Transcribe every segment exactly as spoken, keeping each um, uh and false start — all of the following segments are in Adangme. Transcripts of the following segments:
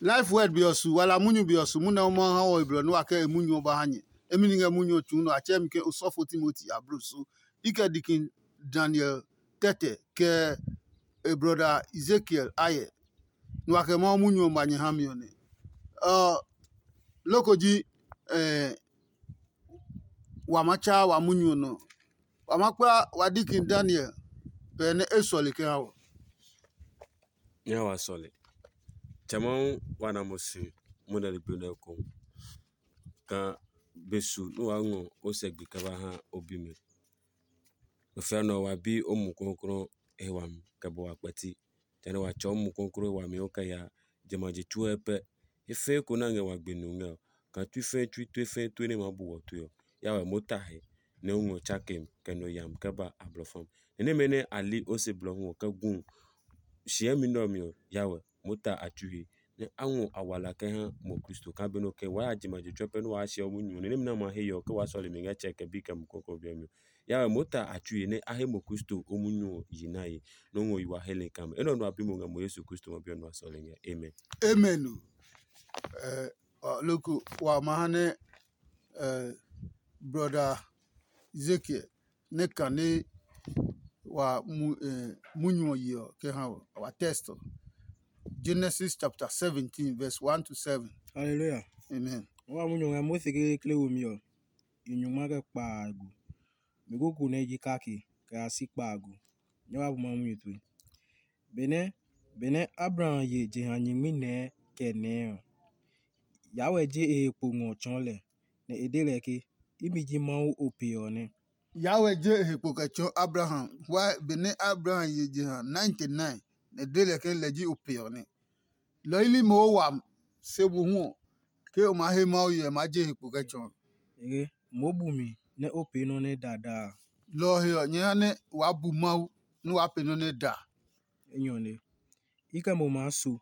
Life Word be ɔ su, wala munyu be ɔ su, munɛ o ma ha wɔ e blɔ nɛ wa kɛ e munyu ɔ ba ha nyɛ. Emi ni ngɛ munyu ɔ tsuu nɔ, a tsɛɛ mi ke osɔfo Timoti ablo su. I kɛ dikin Daniel tɛtɛ, kɛ e brɔda Ezekiel ayɛ. Nɛ wa kɛ Mawu munyu ɔ ba nyɛ ha mi ɔ nɛ. Ɔ, loko ji eh, wa ma tsaa wa munyu ɔ nɔ. Wa ma kpla wa dikin Daniel pɛ nɛ e sɔle kɛ ha wɔ. Nyɛ wa sɔle. Tsɛ Mawu wa na mo si mo nɛ ligbi nɛ eko. Ka be su nɛ wa ngɔ o sɛ gbi kɛ ba ha o bimɛ. Nɔ fianɔ wa bi o mu kɔklɔ he wami kɛ bɔ wa kpɛti. Jehanɛ wa tsɔɔ Mumi Klɔuklɔu he wami ɔ kɛ ya jamɛ a je tsuɛ pɛ. He fɛɛ ko nɛ a ngɛ wa gbe nu ngɛ ɔ, kaa tsui fɛɛ tsui tue fɛɛ tue nɛ e maa bu wɔ tue ɔ, ya wɛ mota he nɛ o ngɔ tsakem kɛ nɔ yami kɛ ba ablɔfam. Nɛ nɛmɛ nɛ a li o se blɔ hu ɔ kɛ gu shiɛmi nɛ ɔ mi ɔ, ya wɛ mota a tsui he. Nɛ a ngɔ awala kɛ ha mo Kristo kaa be nɛ o kɛ waa ya jamɛ a je tsuɛ pɛ nɛ waa hyɛ o munyu ɔ, nɛ nɛmɛ nɛ a ma he yɛ ɔ, ke waa sɔle mi ngɛ Tsɛ kɛ Bi kɛ Mumi Klɔuklɔu ɔ biɛ mi ɔ, ya wɛ mota a tsui he nɛ a he mo Kristo o munyu ɔ yi nae, nɛ o ngɔ yi wa heli kaa mɛ. Enɛ ɔ nɔ a bi mo ngɛ mo Yesu Kristo ma bi ɔ nɔ a sɔle ngɛ. Amen. Amen o. Eh, ɔ, loko wa ma ha nɛ eh, brother Ezekiel ne kane wa mu eh, munyu ɔ yi ɔ kɛ ha wa test ɔ. Genesis chapter seventeen, verse one to seven. Hallelujah. Amen. Wa munyu ngɛ Mose kekle womi ɔ, i nyungma kɛ kpaagu. Mi kuku nɛ ji kake kɛ ya si kpaagu. Nyɛ wa bu Mawu munyu tue. Benɛ benɛ Abraham ye jeha nyingmi nɛɛ kɛ nɛɛ ɔ, Yawɛ je e he kpo ngɔ tsɔɔ lɛ, nɛ e de lɛ ke, imi ji Mawu o pe ɔ nɛ. Yawɛ je e he kpo kɛ tsɔɔ Abraham, why benɛ Abraham ye jeha ninety nine, nɛ e de lɛ ke lɛ ji o pe ɔ nɛ. Lɔ ili mohu wami, se mohu ɔ, ke o maa he Mawu hyɛ, e maa je e he kpo kɛ tsɔɔ. Ege, moo bu mi nɛ o pee nɔ́ nɛ dadaa. Lɔ ɔ he ɔ, nyɛ ha nɛ waa bu Mawu nɛ waa pee nɔ́ nɛ da. Enyɔ ne. I kɛ mo maa so.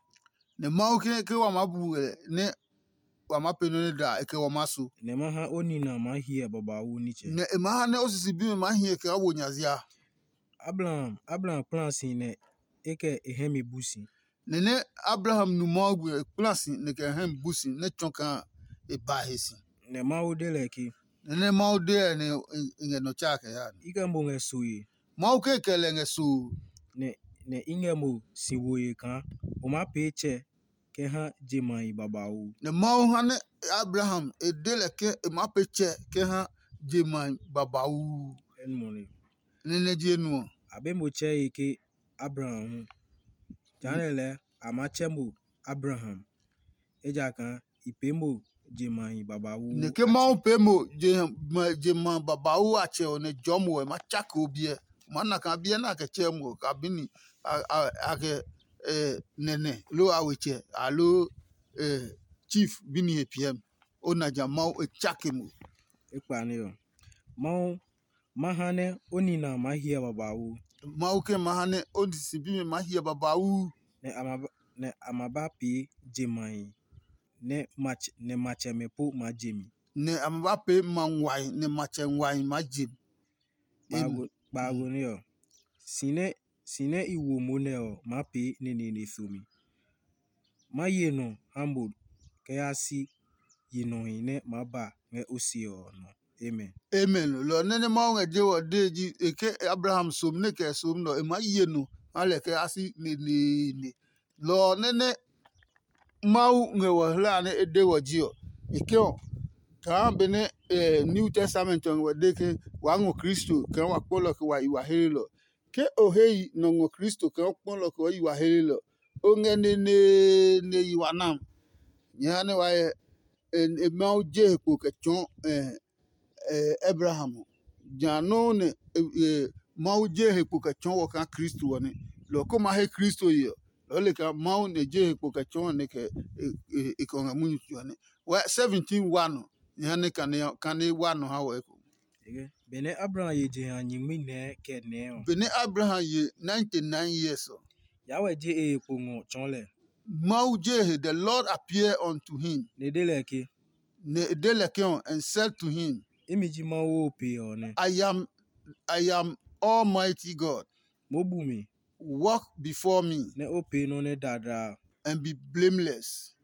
Nɛ Mawu ke ke wa maa bu lɛ nɛ wa maa pee nɔ́ nɛ da, e kɛ wa maa so. Nɛ ma ha o nina maa hyɛ babauu nitsɛ. Nɛ e maa ha nɛ o sisi bimɛ maa hiɛ kɛ maa wo nya zia. Abraham, Abraham kpla si nɛ e kɛ e hɛ mi bu si. Nɛ nɛ Abraham nu Mawu gbe, e kpla si nɛ kɛ e hɛ mi bu si nɛ tsɔ kaa e ba he si. Nɛ Mawu de lɛ ke, Nɛ nɛ Mawu de lɛ nɛ e ngɛ nɔ tsa kɛ ya. I kɛ mo ngɛ soe. Mawu ke kɛ lɛ ngɛ soo. Nɛ nɛ i ngɛ mo si woe kaa o maa pee tsɛ kɛ ha je mahi babauu. Nɛ Mawu ha nɛ Abraham e de lɛ ke e maa pee tsɛ kɛ ha je mahi babauu. Enmɔne. Nɛ nɛ je nu ɔ. A be mo tsɛ he ke Abraham hu. Jehanɛ lɛɛ a maa tsɛ mo Abraham, ejakaa i pee mo je mahi babauu. Nɛ ke Mawu pee mo je ma- je ma babauu a tsɛ ɔ nɛ jɔɔ mo ɔ, e ma tsake o biɛ. O maa na kaa biɛ nɛ a kɛ tsɛɛ mo ɔ, kabini a- a- a kɛ eh, nɛnɛ loo awetsɛ aloo eh, chief bini he piɛ mi. O na ja Mawu e tsake mo. Ekpa ne ɔ. Mawu ma ha nɛ o nina maa hyɛ babauu. Mawu ke ma ha nɛ o sisi bimɛ maa hyɛ babauu. Nɛ a ma ba- nɛ a ma ba pee je mahi nɛ matsɛ nɛ matsɛmɛ po maa je mi. Nɛ a ma ba pee ma nguahi nɛ matsɛ nguahi maa je mi. Kpaago kpaago ne ɔ. Si nɛ si nɛ i wo mo nɛ ɔ maa pee neneene somi. Ma ye nɔ ha mo kɛ ya si yi nɔhi nɛ maa ba ngɛ o se ɔ nɔ. Amen. Amen. Lɔ nɛ nɛ Mawu ngɛ je wɔ dee ji e ke Abraham som nɛ kɛ som nɔ e maa ye nɔ ha lɛ kɛ ya si neneene. Lɔ ɔ nɛ nɛ Mawu ngɛ wɔ hla nɛ e de wɔ ji ɔ, e ke ɔ, kaa benɛ eh, New Testament ɔ ngɛ wɔ de ke waa ngɔ Kristo kaa wa kpɔlɔ kɛ wa yi wa hlelɔ. Ke o he yi nɔ ngɔ Kristo kaa o kpɔlɔ kɛ o yi wa hlelɔ, o ngɛ neneene yi wa nam. Nyɛ ha nɛ wa hyɛ e Mawu je he kpo kɛ tsɔɔ Abraham ɔ. Ja nɔuu nɛ Mawu je he kpo kɛ tsɔɔ wɔ kaa Kristo ɔ nɛ. Lɔ ko ma he Kristo ye ɔ, lɔɔ le kaa Mawu nɛ je he kpo kɛ tsɔɔ nɛ kɛ e kɛ ngɛ munyu tso ɔ nɛ. Wɛ seventeen wa nɔ, e ha nɛ kane wa nɔ ha wɔ eko. Benɛ Abraham ye jeha nyingmi nɛɛ kɛ nɛɛ ɔ. Benɛ Abraham ye ninety nine years ɔ. Yawɛ je e he kpo ngɔ tsɔɔ lɛ. Mawu je he, the Lord appear unto him. Nɛ e de lɛ ke. Nɛ e de lɛ ke ɔ, and said to him, imi ji Mawu o pe ɔ nɛ. I am I am Almighty God. Mo bu mi. Walk before me. Nɛ o pee nɔ́ nɛ dadaa. And be blameless.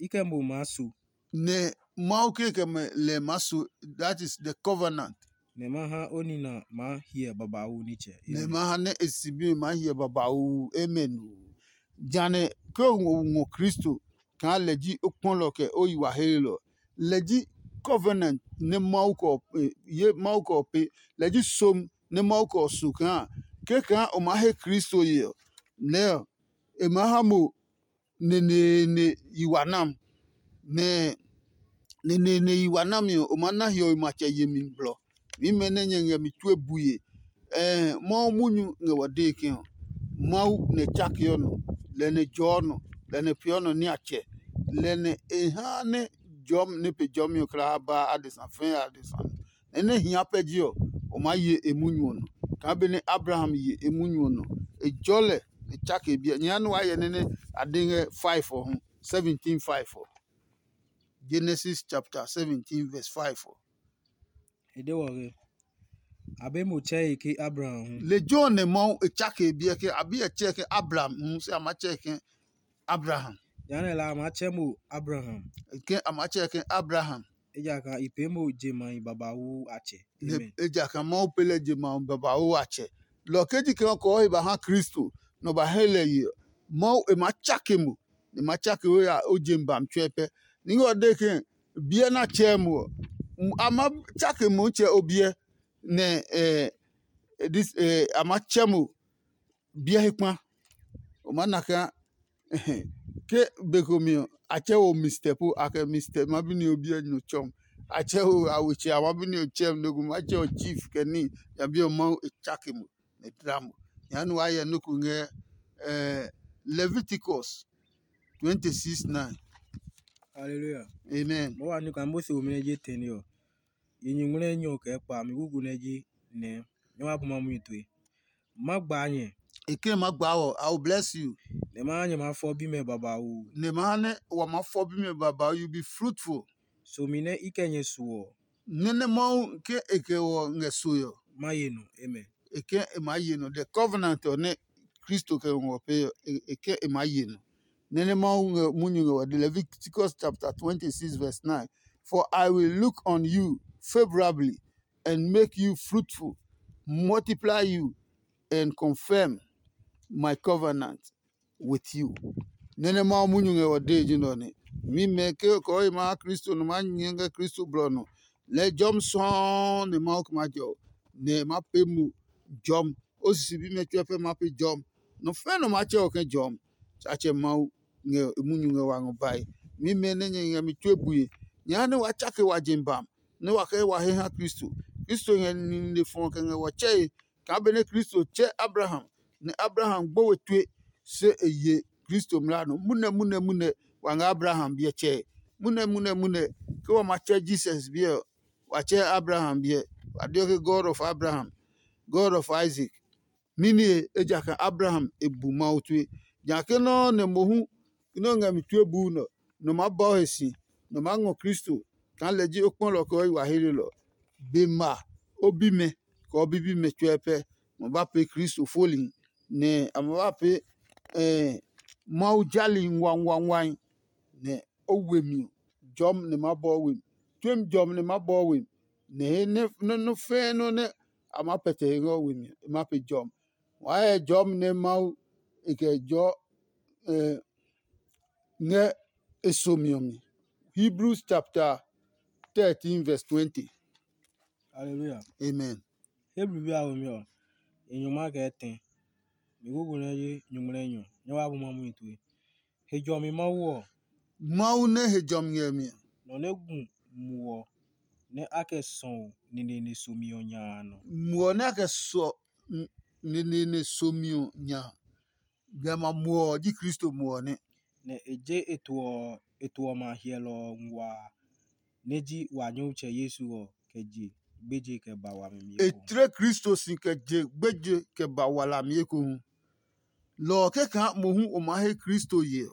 i kɛ mo maa su, nɛ Mawu ke kɛ mɛ lɛ maa su, that is the covenant. Nɛ ma ha o nina maa hyɛ babauu nitsɛ. Nɛ ma ha nɛ e sibi ma hyɛ babauu. Amen. Jane ke o ngɔ Kristo kaa lɛ ji o kpɔlɔ kɛ o yi wa helelɔ. Lɛ ji covenant nɛ Mawu kɔ ye Mawu kɔ pe. Lɛ ji som nɛ Mawu kɔ su kaa ke kaa o maa he Kristo ye ɔ, nɛ ɔ e maa ha mo neneene yi wa nam. Nɛ neneene yi wa nami ɔ, o maa na hiɔwe matsɛ yemi blɔ. Mimɛ nɛ nyɛ ngɛ mi tue bue. Ɛɛ, Mawu munyu ngɛ wa dee ke ɔ, Mawu nɛ tsakeɔ nɔ, lɛ nɛ jɔɔ nɔ, lɛ nɛ peeɔ nɔ niatsɛ, lɛ nɛ e ha nɛ jɔmi nɛ pe jɔmi ɔ kla ba adesa fɛɛ adesa. Nɛ nɛ hia pɛ ji ɔ, o maa ye e munyu ɔ nɔ. Kaa benɛ Abraham ye e munyu ɔ nɔ, e jɔ lɛ, e tsake biɛ. Nyɛ ya nɛ waa hyɛ nɛ nɛ a de ngɛ five ɔ hu, seventeen five ɔ. Genesis chapter seventeen verse five ɔ. E de wɔ ke, a be mo tsɛe ke Abraham hu. Lejɛ ɔ nɛ Mawu e tsake biɛ ke a bi ɛ tsɛ ke Abraham hu, se a ma tsɛ ke Abraham. Jehanɛ la a maa tsɛ mo Abraham. Ke a maa tsɛ ke Abraham. Ejakaa i pee mo je mahi babauu a tsɛ. Amen. Ejakaa Mawu pe lɛ je mahi babauu a tsɛ. Lɔ ke ji ke ɔ kɔɔ he ba ha Kristo, nɔ ba he lɛ ye ɔ, Mawu e maa tsake mo, e maa tsake o ya o je mi ba mi tsuɛ pɛ. Ni ngɛ ɔ de ke biɛ na tsɛ mo ɔ, a ma tsake mo tsɛ o biɛ nɛ eh, this, eh, a ma tsɛ mo biɛ he kpa. O ma na kaa ke be ko mi ɔ, a tsɛ wo Mister Po, a kɛ Mister ma bi ni o biɛ nyo tsɔm. A tsɛ wo a we tsɛ a ma bi ni o tsɛm, no ko ma tsɛ o chief kɛ ni, ya bi ɔ Mawu e tsake mo, ne dla mo. Nya nu wa yɛ no ko ngɛ eh, Leviticus twenty six nine. Hallelujah. Amen. Mo wa ni kan mo se o mene je teni ɔ. Yi nyuŋmlɛ nyɔ kɛ kpa mi gugu nɛ ji nɛ nyɛ wa bu ma mui tue. Ma gbaa nyɛ. E ke ma gbaa wɔ, I will bless you. Nɛ ma ha nyɛ ma fɔ bimɛ babauu. Nɛ ma ha nɛ wa ma fɔ bimɛ babauu, you be fruitful. Somi nɛ i kɛ nyɛ su ɔ. Nɛ nɛ Mawu ke e kɛ wɔ ngɛ so ɔ. Ma ye nɔ. Amen. E ke e ma ye nɔ. The covenant ɔ nɛ Kristo kɛ ngɔ pe ɔ, e ke e ma ye nɔ. Nɛ nɛ Mawu ngɛ munyu ngɛ wɔ de. Leviticus chapter twenty six verse nine. For I will look on you favorably and make you fruitful, multiply you, and confirm my covenant with you. Nɛ nɛ Mawu munyu ngɛ wɔ dee ji nɛ ɔ nɛ. Mi mɛ ke kɔɔhi ma ha Kristo nɔ ma nyɛ ngɛ Kristo blɔ nɔ. Lɛ jɔmi sɔɔɔ nɛ Mawu kɛ ma jɛ ɔ, nɛ ma pee mo jɔmi. O sisi bimɛ tsuɛ pɛ ma pee jɔmi. Nɔ fɛ̃ nɔ ma tsɛ ɔ kɛ jɔmi. Tsatsɛ Mawu ngɛ e munyu ngɛ wa ngɔ bae. Mi mɛ nɛ nyɛ ngɛ mi tue bue. Nyɛ ha nɛ wa tsake wa je bam, nɛ wa kɛ wa he ha Kristo. Kristo ngɛ nine fɔ kɛ ngɛ wɔ tsɛe. Kaa benɛ Kristo tsɛ Abraham, nɛ Abraham gbo we tue, se e ye Kristo mlaa nɔ. Munɛ munɛ munɛ wa ngɛ Abraham biɛ tsɛe. Munɛ munɛ munɛ ke wa ma tsɛ Jesus biɛ ɔ, wa tsɛ Abraham biɛ. Wa deɔ ke God of Abraham, God of Isaac. Níni e, ejakaa Abraham e bu Mawu tue. Nya ke nɔ́ nɛ mohu nɛ o ngɛ mi tue buu nɔ, nɔ maa bɔ he si, nɔ maa ngɔ Kristo kaa lɛ ji o kpɔlɔ kɛ o yi wa he lelɔ. Be ma o bimɛ kɛ o bibimɛ tsuɛ pɛ, ma ba pee Kristo foli, nɛ a ma ba pee Mawu jali nguanguanguai, nɛ o we mi ɔ, jɔmi nɛ ma bɔ we mi. Tsuemi jɔmi nɛ ma bɔ we mi, nɛ he nɛ nɔ́ fɛ́ɛ́ nɔ́ nɛ a maa pɛtɛ he ngɛ we mi ɔ, e ma pe jɔmi. Waa hyɛ jɔmi nɛ Mawu e kɛ jɔɔ ngɛ e somi ɔ mi. Hebrews chapter thirteen verse twenty. Hallelujah. Amen. Hebrew bi a womi ɔ, e nyɔngma kɛ tɛ. Mi gugu nɛ ji nyuŋmlɛ nyɔ. Nyɛ wa bu ma mui tue. He jɔmi Mawu ɔ. Mawu nɛ he jɔmi ngɛ mi ɔ. Nɔ nɛ gu muɔ nɛ a kɛ sɔu neneene somi ɔ nya a nɔ. Muɔ nɛ a kɛ sɔ neneene somi ɔ nya. Gama muɔ ɔ ji Kristo muɔ ɔ nɛ. Nɛ e je e tuɔ e tuɔ ma hyɛlɔ ɔ nguaa nɛ ji wa Nyɔmtsɛ Yesu ɔ kɛ je gbeje kɛ ba wami mi. E tle Kristo si kɛ je gbeje kɛ ba walami ekohu. Lɔ ɔ kɛkaa mohu o maa he Kristo ye ɔ,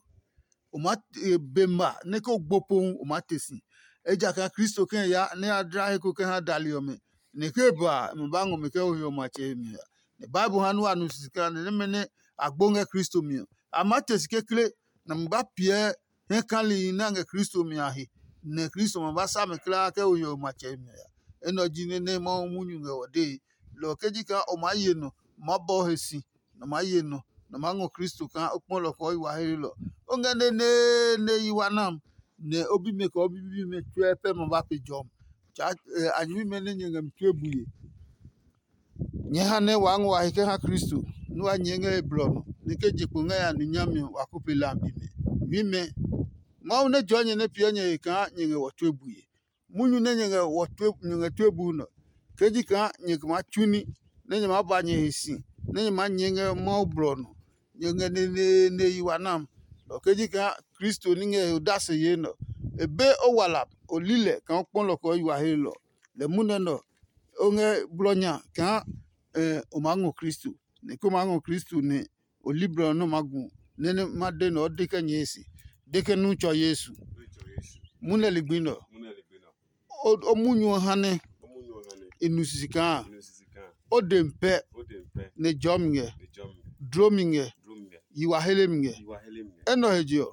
o maa be ma nɛ ko gbo pohu o maa te si. Ejakaa Kristo kɛ ya nɛ ya dla he ko kɛ ha dali ɔmɛ, nɛ ke ba a, e ma ba ngɔ mi kɛ ho he ɔ matsɛ he mi a. Nɛ Bible ha nua nu sisi kaa nɛ nɛmɛ nɛ a gbo ngɛ Kristo mi ɔ, a maa te si kekle, nɛ a ma ba piɛ hɛ kalihi nɛ a ngɛ Kristo mi a he, nɛ Kristo ma ba sa mɛ kulaa kɛ ho hiɔwe matsɛ mi a. Enɛ ɔ ji nɛ nɛ Mawu munyu ngɛ ɔ dee. Lɔ ɔ ke ji kaa o maa ye nɔ, o maa bɔ he si, nɛ o maa ye nɔ, nɛ o maa ngɔ Kristo kaa o kpɔ lɔ kɔɔ yi wa heelɔ. O ngɛ neneene yi wa nam, nɛ o bimɛ kɛ o bibimɛ tsuɛ pɛ ma ba pe jɔmi. Tsa a nyɛmimɛ nɛ nyɛ ngɛ mi tue bue. Nyɛɛ ha nɛ waa ngɔ wa he kɛ ha Kristo, nɛ wa nyɛɛ ngɛ he blɔ nɔ, nɛ ke je kpo ngɛ ya nu nyami ɔ, wa ko pe lambi mɛ. Nyɛmimɛ, Mawu nɛ jɔɔ nyɛ nɛ piɛ nyɛ he kaa nyɛ ngɛ wɔ tue bue. Munyu nɛ nyɛ ngɛ wɔ tue nyɛ ngɛ tue buu nɔ, ke ji kaa nyɛ maa tsu ní, nɛ nyɛ maa ba nyɛ he si, nɛ nyɛ maa nyɛɛ ngɛ Mawu blɔ ɔ nɔ. Nyɛ ngɛ neneene yi wa nam, lɔ ke ji kaa Kristo ní ngɛ he odase yee nɛ ɔ. E be o wala, o li lɛ kaa o kpɔ lɔ kɛ o yi wa he lɔ. Lɛ munɛ nɛ ɔ, o ngɛ blɔ nya kaa o maa ngɔ Kristo, nɛ ke o maa ngɔ Kristo nɛ o li blɔ ɔ nɛ o maa gu nɛ nɛ ma de nɛ ɔ de kɛ nyɛɛ se, de kɛ nu tsɔ Yesu. Munɛ ligbi nɛ ɔ, o munyu ɔ ha nɛ e nu sisi kaa o de mi pɛ nɛ jɔɔ mi ngɛ, dlo mi ngɛ, yi wa hele mi ngɛ. Enɛ ɔ he je ɔ,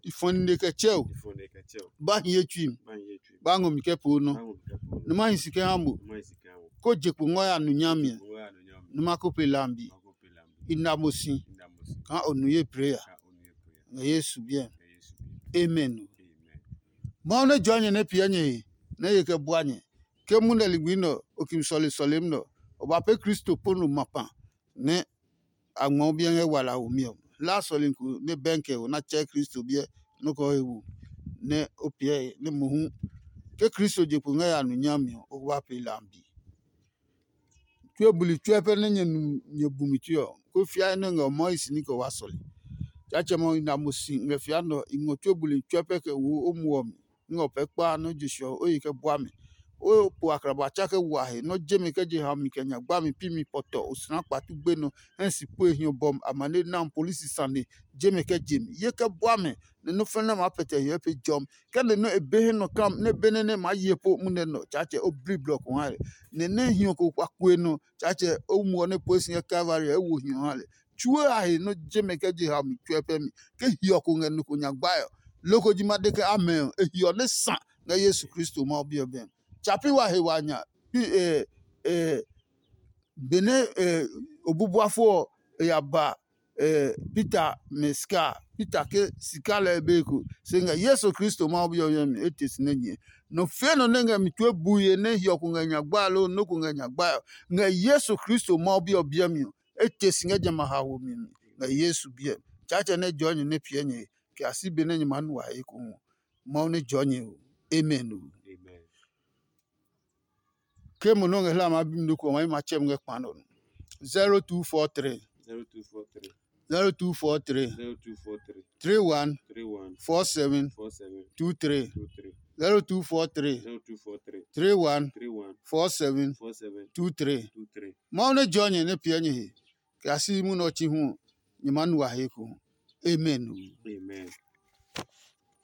i fɔ nine kɛ tsɛ o, ba hi ye tsui mi, ba ngɔ mi kɛ poo nɔ, nɛ ma hi si kɛ ha mo, ko je kpo ngɔ ya nu nyami ɛ, nɛ ma ko pe lambi. I na mo si kaa o nu ye plee a. Ngɛ Yesu biɛ. Amen. Mawu nɛ jɔɔ nyɛ nɛ piɛ nyɛ he nɛ ye kɛ bua nyɛ. Ke munɛ ligbi nɛ ɔ, o kimi sɔle sɔlemi nɛ ɔ, o ba pee Kristo po no ma kpa nɛ a ngmɔɔ biɛ ngɛ wala womi ɔ. Laa sɔlemi ko nɛ bɛnkɛ ɔ na tsɛɛ Kristo biɛ nɔ́ kɛ he wu nɛ o piɛ he nɛ mohu ke Kristo je kpo ngɛ ya nu nyami ɔ, o ko ba pee lambi. Tue buli tsuɛ pɛ nɛ nyɛ nu nyɛ bumi tue ɔ, kó fiae nɛ ngɛ o mɔɔ hi si ní kɛ wa sɔle. Tsaatsɛmɛ ɔ, i na mo si ngɛ fia nɛ ɔ, i ngɔ tue buli tsuɛ pɛ kɛ wo o muɔ mi. Ngɛ o pɛ kpaa nɛ o je sɛ ɔ, o yi kɛ bua mi. O po akraba tsa kɛ wa he, nɛ o je mi kɛ je ha mi kɛ nya gba mi pi mi pɔtɔ osina kpatu gbe nɔ hɛ si pue hiɔ bɔmi amane na polisi sane je mi kɛ je mi. Ye kɛ bua mi, nɛ nɔ́ fɛnɛ maa pɛtɛ hiɔ pe jɔmi. Kɛ nɛ nɔ́ e be he nɔ kam nɛ be nɛ nɛ maa ye po munɛ nɔ, Tsaatsɛ o bli blɔ ko ha lɛ. Nɛ nɛ hiɔ ko kpa kue nɔ, Tsaatsɛ o muɔ nɛ pue si ngɛ Kalvari ɔ, e wo hiɔ ha lɛ. Tsuo a he nɔ́ je mɛ kɛ je ha mi tsuɛ pɛ mi. Ke hiɔ ko ngɛ nɔ ko nya gbae ɔ, loko ji ma de ke amɛ ɔ, e hiɔ nɛ sa ngɛ Yesu Kristo Mawu Bi ɔ bɛ. Tsa pi wa he wa nya pi e e benɛ e obubuafo ɔ e ya ba eh, Peter mɛ sika a. Peter ke sika lɛɛ be ko se ngɛ Yesu Kristo Mawu Bi ɔ mi ɔ mi etɛ si nɛ nyɛ. Nɔ fie nɔ nɛ ngɛ mi tue bui he nɛ hiɔ ko ngɛ nya gbae loo nɔ́ ko ngɛ nya gbae ɔ, ngɛ Yesu Kristo Mawu Bi ɔ biɛ mi ɔ, etɛ si ngɛ jamɛ a haomi mi ngɛ Yesu biɛ mi. Tsaatsɛ nɛ jɔɔ nyɛ nɛ piɛ nyɛ he, kɛ ya si be nɛ nyɛ maa nu wa he ekohu ɔ. Mawu nɛ jɔɔ nyɛ ɔ. Amen o. Ke mo nɔ́ ngɛ hla maa bi mi loko ɔ, ma yi ma tsɛ mi ngɛ kpa nɔ. Zero two four three. Zero two four three. Zero two four three. Zero two four three. Three one. Three one. Four seven. Four seven. Two three. Two three. Zero two four three. Zero two four three. Three one. Three one. Four seven. Four seven. Two three. Two three. Mawu nɛ jɔɔ nyɛ nɛ piɛ nyɛ he. Kɛ a si munɛ ɔ chi hu ɔ, nyɛ maa nu wa he ko. Amen. Amen.